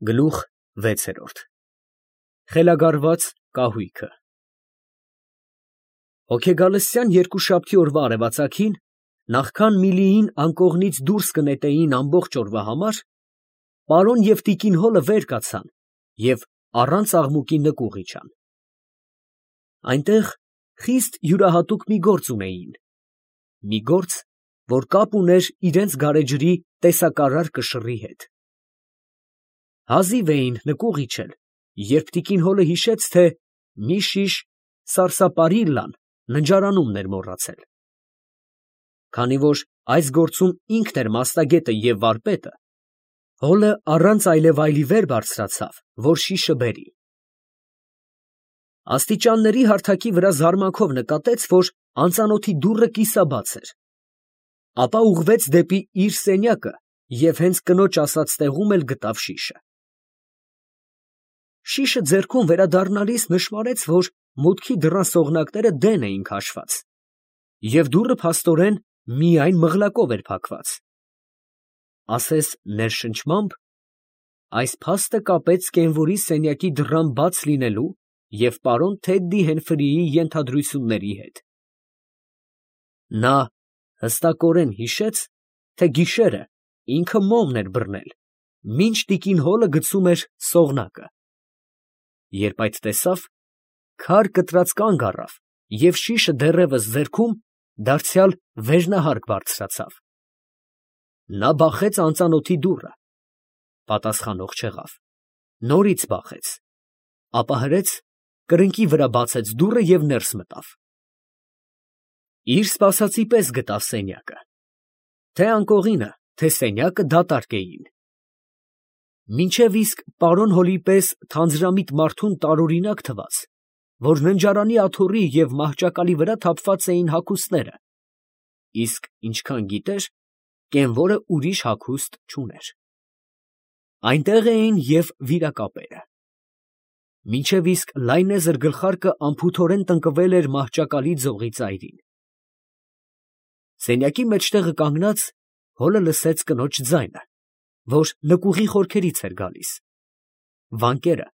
Գլուխ 6 Խելագարված կահույքը Հոգեգալստյան երկուշաբթի օրվա արևածագին, նախքան Միլիին անկողնից դուրս կնետեին ամբողջ օրվա համար, պարոն և տիկին Հոլը վեր կացան և առանց աղմուկի նկուղ իջան. այնտեղ խիստ յուրահատուկ մի գործ ունեին, մի գործ, որ կապ ուներ իրենց գարեջրի տեսակարար կշռի հետ. հազիվ էին նկուղ իջել, երբ տիկին Հոլը հիշեց, թե մի շիշ սարսափարիլլան ննջարանումն էր մոռացել. քանի որ այս գործում ինքն էր մասնագետը և վարպետը, Հոլը առանց այլևայլի վեր բարձրացավ, որ շիշը բերի. աստիճանների հարթակի վրա զարմանքով նկատեց, որ անծանոթի դուռը կիսաբաց էր, ապա ուղղվեց դեպի իր սենյակը և հենց կնոջ ասած տեղում էլ գտավ շիշը. շիշը ձեռքում վերադառնալիս նշմարեց, որ մուտքի դռան սողնակները դեն էին քաշված, և դուռը փաստորեն միայն մղլակով էր փակված. ասես ներշնչմամբ, այս փաստը կապեց կենվորի սենյակի դռան բաց լինելու և պարոն Թեդդի Հենֆրիի ենթադրությունների հետ. նա հստակորեն հիշեց, թե գիշերը ինքը մոմն էր բռնել, մինչ տիկին Հոլը գցում էր սողնակը. երբ այդ տեսավ, քար կտրած կանգ առավ և շիշը դեռևս ձեռքում, դարձյալ վերնահարկ բարձրացավ. նա բախեց անծանոթի դուռը, պատասխանող չեղավ, նորից բախեց, ապա հրեց, կրկնակի վրա բացեց դուռը և ներս մտավ. իր սպասածի պես գտավ սենյակը, թե անկողինը, թե սենյակը դատարկ էին. մինչև իսկ պարոն Հոլի պես թանձրամիտ մարդուն տարօրինակ թվաց, որ ննջարանի աթոռի և մահճակալի վրա թափված էին հագուստները, իսկ ինչքան գիտեր, կենվորը ուրիշ հագուստ չուներ. այնտեղ էին և վիրակապերը. մինչև իսկ լայնեզր գլխարկը անփութորեն տնկվել էր մահճակալի ձողի ծայրին. սենյակի մեջտեղը կանգնած, Հոլը լսեց կնոջ ձայնը, որ նկուղի խորքերից էր գալիս. վանկերը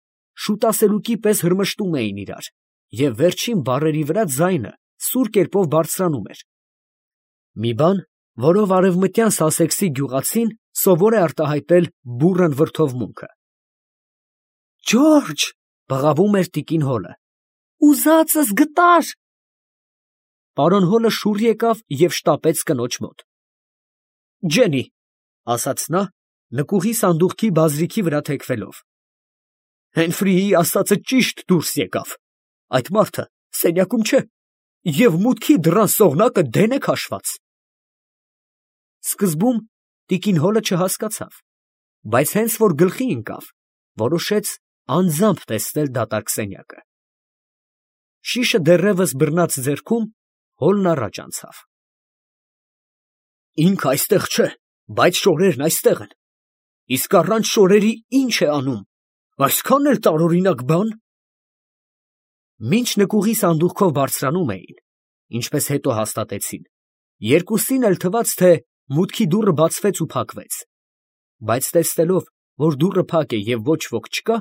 շուտասելուկի պես հրմշտում էին իրար, և վերջին բառերի վրա ձայնը սուր կերպով բարձրանում էր, մի բան, որով արևմտյան Սասեքսի գյուղացին սովոր է արտահայտել բուռն վրդովմունքը։ «Ջորջ», բղավում էր տիկին Հոլը, «ուզածս գտար»։ Պարոն Հոլը շուռ եկավ և շտապեց կնոջ մոտ. «Ջենի», ասաց նա, նկուղի սանդուղքի բազրիքի վրա թեքվելով, «Հենֆրիի ասածը ճիշտ դուրս եկավ, այդ մարդը սենյակում չէ, և մուտքի դռան սողնակը դեն է քաշված»։ Սկզբում տիկին Հոլը չհասկացավ, բայց հենց որ գլխի ընկավ, որոշեց անձամբ տեսնել դատարկ սենյակը. շիշը դեռևս բռնած ձեռքում, Հոլն առաջ անցավ. «Ինքը այստեղ չէ, բայց շորերն այստեղ են, իսկ առանց շորերի ի՞նչ է անում, այսքան էլ տարօրինակ բան»։ Մինչ նկուղի սանդուղքով բարձրանում էին, ինչպես հետո հաստատեցին, երկուսին էլ թվաց, թե մուտքի դուռը բացվեց ու փակվեց, բայց տեսնելով, որ դուռը փակ է և ոչ ոք չկա,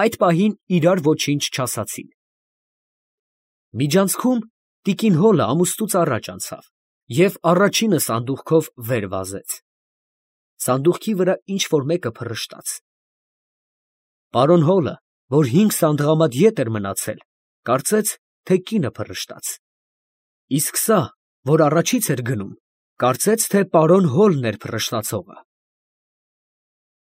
այդ պահին իրար ոչինչ չասացին. միջանցքում տիկին Հոլը ամուստուց առաջ անցավ և առաջինը սանդուղքով վեր վազեց. սանդուղքի վրա ինչ֊որ մեկը փռշտաց. պարոն Հոլը, որ 5 սանդղամատ ետ էր մնացել, կարծեց, թե կինը փռշտաց, իսկ սա, որ առաջից էր գնում, կարծեց, թե պարոն Հոլն էր փռշտացողը։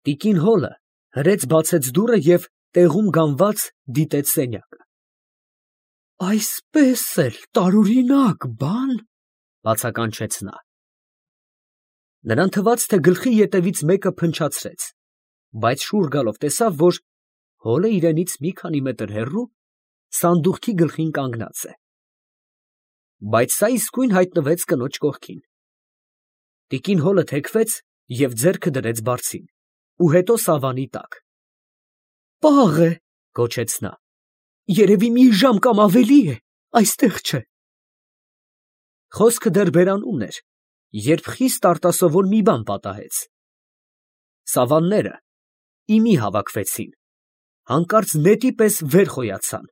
տիկին Հոլը հրեց բացեց դուռը և տեղում գանված դիտեց սենյակը. «Այսպես էլ տարօրինակ բան», բացականչեց նա։ Նրան թվաց, թե գլխի ետևից մեկը փնչացրեց, բայց շուռ գալով տեսավ, որ Հոլը իրենից մի քանի մետր հեռու սանդուղքի գլխին կանգնած է, բայց սա իսկույն հայտնվեց կնոջ կողքին։ տիկին Հոլը թեքվեց և ձեռքը դրեց բարձին ու հետո սավանի տակ։ «Պաղ է», գոչեց նա, «երևի մի ժամ կամ ավելի է այստեղ չէ»։ Խոսքը դեռ բերանումն էր, երբ խիստ արտասովոր մի բան պատահեց. սավանները, իմի հավաքվեցին, հանկարծ նետի պես վեր խոյացան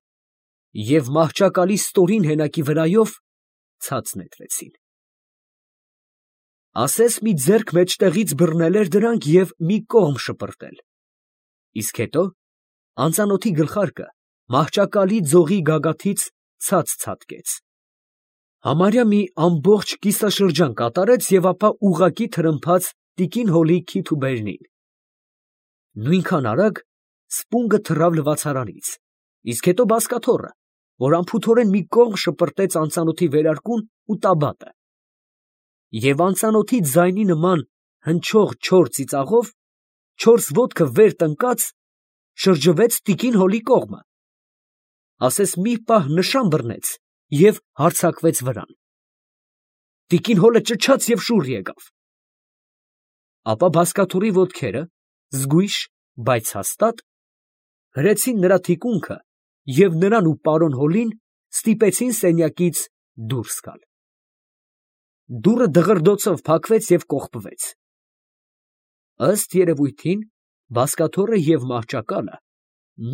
և մահճակալի ստորին հենակի վրայով ցած նետվեցին։ Ասես մի ձեռք մեջտեղից բռնել էր դրանք և մի կողմ շպրտել, իսկ հետո անծանոթի գլխարկը մահճակալի ձողի գագաթից ցած ցատկեց, համարյա մի ամբողջ կիսաշրջան կատարեց և ապա ուղղակի թրմփաց տիկին Հոլի քիթ ու բերնին։ Նույնքան արագ սպունգը թռավ լվացարանից, իսկ հետո բազկաթոռը, որ անփութորեն մի կողմ շպրտեց անծանոթի վերարկուն ու տաբատը, և անծանոթի ձայնի նման հնչող չոր ծիծաղով, չորս ոտքը վեր տնկած, շրջվեց տիկին Հոլի կողմը, ասես մի պահ նշան բռնեց և հարձակվեց վրան։ Տիկին Հոլը ճչաց և շուռ եկավ, ապա բազկաթոռի ոտքերը զգույշ, բայց հաստատ հրեցին նրա թիկունքը և նրան ու պարոն Հոլին ստիպեցին սենյակից դուրս գալ։ Դուռը դղրդոցով փակվեց և կողպվեց։ Ըստ երևույթին, բազկաթոռը և մահճակալը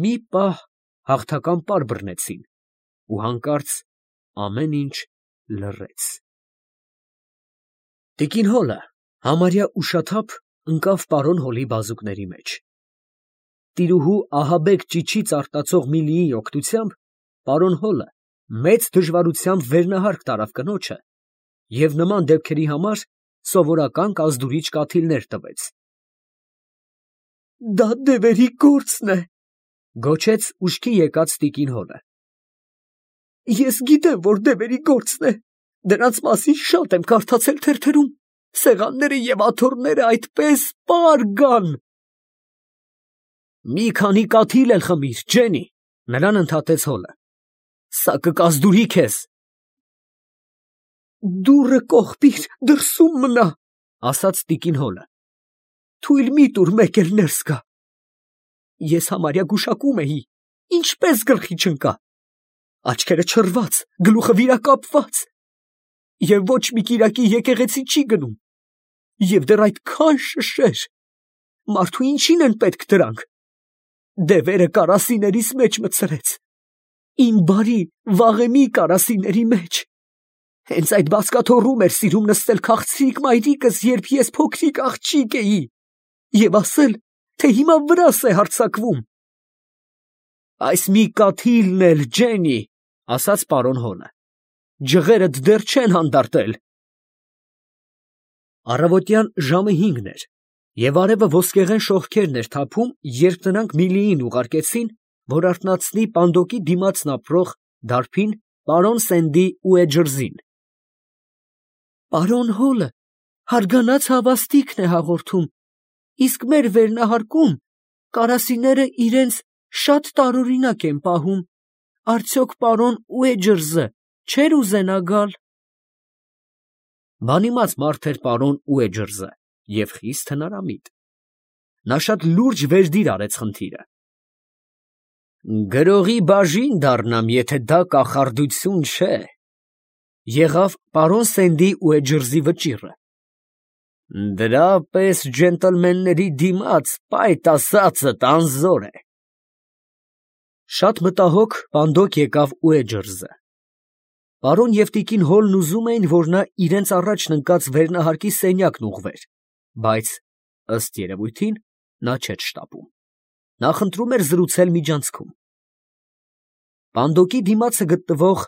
մի պահ հաղթական պար բռնեցին ու հանկարծ ամեն ինչ լռեց։ Տիկին Հոլը համարյա ուշաթափ ընկավ պարոն Հոլի բազուկների մեջ։ Տիրուհու ահաբեկ ճիչից արտացող Միլիի օգնությամբ պարոն Հոլը մեծ դժվարությամբ վերնահարկ տարավ կնոջը և նման դեպքերի համար սովորական կազդուրիչ կաթիլներ տվեց։ «Դա դևերի գործն է», ֊ գոչեց ուշքի եկած տիկին Հոլը։ «Ես գիտեմ, որ դևերի գործն է, դրանց մասին շատ եմ կարդացել թերթերում, սեղանները և աթոռները այդպես պար գան»։ «Մի քանի կաթիլ էլ խմիր, ջենի», ֊ նրան ընդհատեց Հոլը, ֊ սա կկազդուրի քեզ։ «Դուռը կողպիր, դրսում մնա», ֊ ասաց տիկին Հոլը, ֊ թույլ մի տուր մեկ էլ ներս գա։ Ես համարյա գուշակում էի, ինչպես գլխի չընկա, աչքերը չռված, գլուխը վիրակապված, և ոչ մի կիրակի եկեղեցի չի գնում, և դեռ այդքան շշեր, մարդու ինչին են պետք դրանք։ Դևերը կարասիներիս մեջ մտցրեց, իմ բարի վաղեմի կարասիների մեջ։ Հենց այդ բազկաթոռում էր սիրում նստել քաղցրիկ մայրիկս, երբ ես փոքրիկ աղջիկ էի, և ասել, թե հիմա վրաս է հարձակվում։ «Այս մի կաթիլն էլ, ջենի», ֊ ասաց պարոն Հոլը, ֊ ջղերդ դեռ չեն հանդարտել։ Առավոտյան ժամը 5 էր, և արևը ոսկեղեն շողքերն էր թափում, երբ նրանք Միլիին ուղարկեցին, որ արթնացնի պանդոկի դիմացն ապրող դարբին պարոն Սենդի Ուեջրզին։ «Պարոն Հոլը հարգանած հավաստիքն է հաղորդում, իսկ մեր վերնահարկում կարասիները իրենց շատ տարօրինակ են պահում, արդյոք պարոն Ուեջրզը չէր ուզենա գալ»։ Բանիմաց մարդ էր պարոն Ուեջրզը և խիստ հնարամիտ։ Նա շատ լուրջ վերդիր արեց խնդիրը։ «Գրողի բաժին դառնամ, եթե դա կախարդություն չէ», ֊ եղավ պարոն Սենդի Ուեջրզի վճիռը։ «Դրա պես ջենտլմենների դիմաց պայտ ասածդ անզոր է»։ Շատ մտահոգ պանդոկ եկավ Ուեջրզը։ Պարոն և տիկին Հոլն ուզում էին, որ նա իրենց առաջն ընկած վերնահարկի սենյակն ուղղվեր, բայց, ըստ երևույթին, նա չէր շտապում. նա խնդրում էր զրուցել միջանցքում։ Պանդոկի դիմացը գտնվող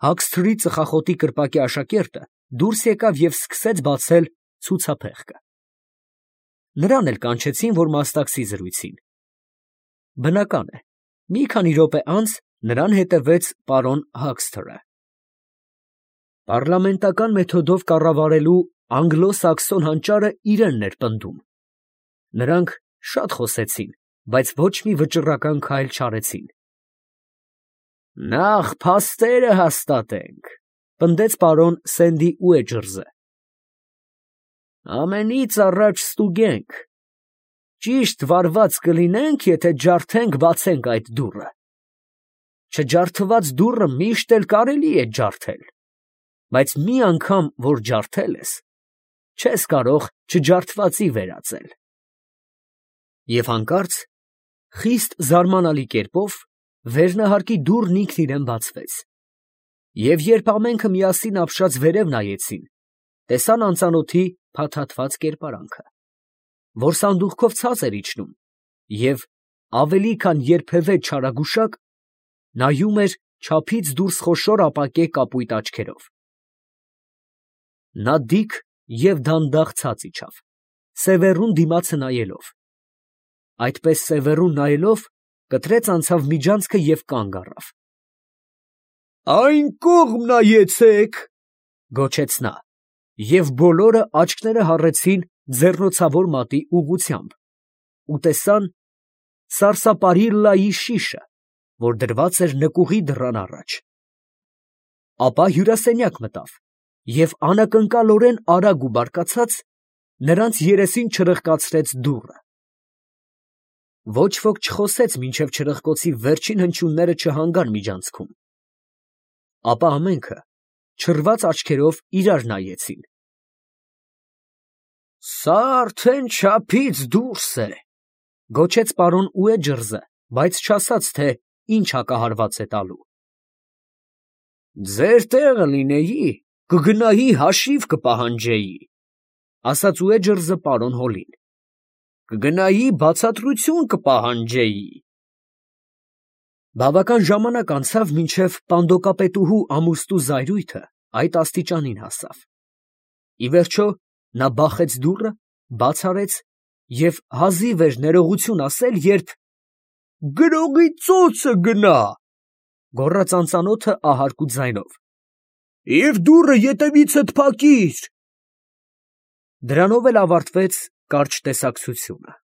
հագսթրի ծխախոտի կրպակի աշակերտը դուրս եկավ և սկսեց բացել ցուցափեղկը։ Նրան էլ կանչեցին, որ մասնակցի զրույցին։ Բնական է, մի քանի րոպե անց նրան հետևեց պարոն Հագսթրը։ Պառլամենտական մեթոդով կառավարելու անգլո֊սաքսոն հանճարը իրենն էր պնդում։ Նրանք շատ խոսեցին, բայց ոչ մի վճռական քայլ չարեցին։ «Նախ փաստերը հաստատենք», ֊ պնդեց պարոն Սենդի Ուեջրզը։ «Ամենից առաջ ստուգենք, ճիշտ վարված կլինենք, եթե ջարդենք բացենք այդ դուռը։ Չջարդված դուռը միշտ էլ կարելի է ջարդել, բայց մի անգամ որ ջարդել ես, չես կարող չջարդվածի վերածել»։ Եվ հանկարծ, խիստ զարմանալի կերպով, վերնահարկի դուռն ինքն իրան բացվեց, և երբ ամենքը միասին ապշած վերև նայեցին, տեսան անծանոթի փաթաթված կերպարանքը, որ սանդուղքով ցած էր իջնում և ավելի քան երբևէ չարագուշակ նայում էր չափից դուրս խոշոր ապակե կապույտ աչքերով։ Նա դիկ և դանդաղ ցած իջավ, Սևեռուն դիմացը նայելով, այդպես Սևեռուն նայելով, կտրեց անցավ միջանցքը և կանգ առավ։ «Այն կողմ նայեցեք», ֊ գոչեց նա, և բոլորը աչքները հառեցին ձեռնոցավոր մատի ուղղությամբ ու տեսան սարսափարիլլայի շիշը, որ դրված էր նկուղի դռան առաջ։ Ապա հյուրասենյակ մտավ և անակնկալորեն արագ ու բարկացած նրանց երեսին չրպկացրեց դուռը։ Ոչ ոք չխոսեց, մինչև չրպկոցի վերջին հնչյունները չհանգան միջանցքում, ապա ամենքը չռված աչքերով իրար նայեցին։ «Սա արդեն չափից դուրս է», ֊ գոչեց պարոն Ուեջըրզը, բայց չասաց, թե ինչ հակահարված է տալու։ «Ձեր տեղը լինեի, կգնայի հաշիվ կպահանջեի», ֊ ասաց Ուեջըրզը պարոն Հոլին, «կգնայի բացատրություն կպահանջեի»։ Բավական ժամանակ անցավ, մինչև պանդոկապետուհու ամուստու զայրույթը այդ աստիճանին հասավ։ Ի վերջո նա բախեց դուռը, բաց արեց և հազիվ էր ներողություն ասել, երբ «Գրողի ծոցը գնա», ֊ գոռաց անծանոթը ահարկու ձայնով, «և դուռը ետևիցդ փակիր»։ Դրանով էլ ավարտվեց կարճ տեսակցությունը։